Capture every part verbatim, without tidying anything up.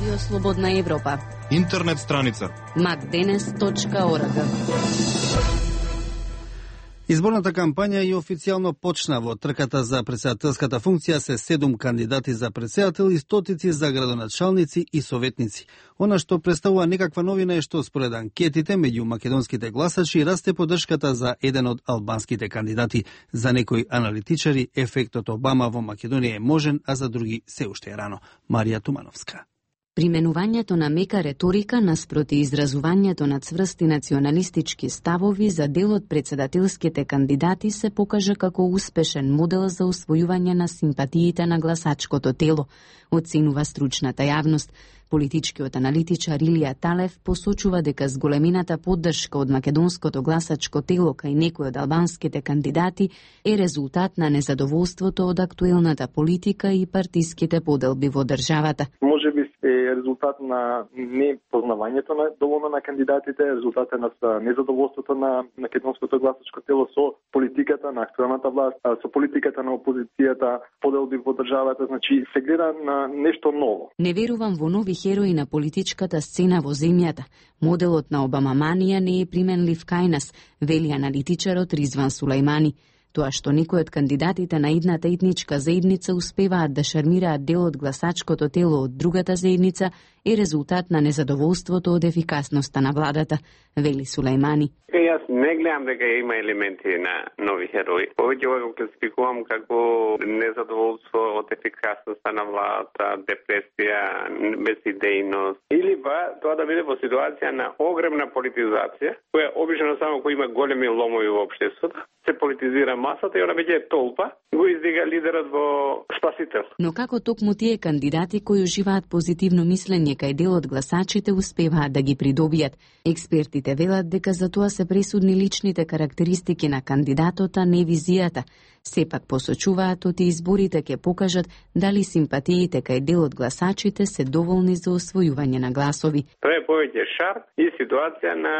Радио Слободна Европа. Интернет страница макденес точка орг. Изборната кампања и официјално почна. Во трката за претседателската функција се седум кандидати за претседател и стотици за градоначалници и советници. Она што представува некаква новина е што според анкетите меѓу македонските гласачи расте поддршката за еден од албанските кандидати. За некои аналитичари ефектот Обама во Македонија е можен, а за други се уште е рано. Марија Тумановска. Применувањето на мека реторика наспроти изразувањето на цврсти националистички ставови за дел од претседателските кандидати се покажа како успешен модел за усвојување на симпатиите на гласачкото тело, оценува стручната јавност. Политичкиот аналитичар Илија Талев посочува дека зголемината поддршка од македонското гласачко тело кај некои од албанските кандидати е резултат на незадоволството од актуелната политика и партиските поделби во државата. Може би е резултат на непознавањето на доволно на кандидатите, резултат на незадоволството на македонското гласачко тело со политиката на актуелната власт, со политиката на опозицијата, поделби во државата, значи се гледа на нешто ново. Не верувам во нови херои на политичката сцена во земјата. Моделот на Обамаманија не е применлив кај нас, вели аналитичарот Ризван Сулајмани. Тоа што некои од кандидатите на едната етничка заедница успеваат да шармираат дел од гласачкото тело од другата заедница е резултат на незадоволството од ефикасноста на владата, вели Сулајмани. Јас не гледам дека има елементи на нови херои. Повеќе го класификувам како незадоволство од ефикасноста на владата, депресија, безидејност. Или ба тоа да биде во ситуација на огромна политизација, која обично само кој има големи ломови во општеството, се политизира масата и она веќе толпа го издига лидерот во спасител. Но како токму тие кандидати кои уживаат позитивно мислење кај дел од гласачите успеваат да ги придобијат? Експертите велат дека за тоа се пресудни личните карактеристики на кандидатот, а не визијата. Сепак посочуваат оти изборите ќе покажат дали симпатиите кај дел од гласачите се доволни за освојување на гласови. Тоа е повеќе шар и ситуација на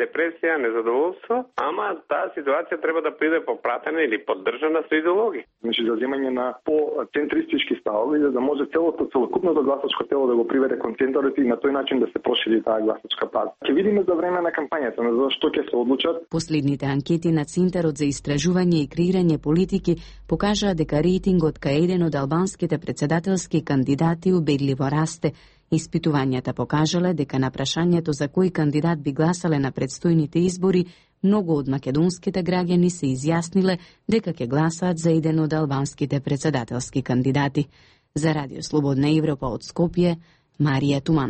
депресија, незадоволство, ама таа ситуација треба да биде попратена или поддржана со идеологија. Значи за земање на по-центристички ставови, за да може целото целокупното гласачко тело да го приведе кон центарот и на тој начин да се прошири таа гласачка база. Ќе видиме за време на кампањата, на за што ќе се одлучат. Последните анкети на Центарот за истражување и креирање политики покажаа дека рейтингот кај еден од албанските претседателски кандидати убедливо расте. Испитувањата покажале дека на прашањето за кој кандидат би гласале на предстојните избори, многу од македонските граѓани се изјасниле дека ќе гласаат за еден од албанските претседателски кандидати. За Радио Слободна Европа од Скопје, Марија Тумановска.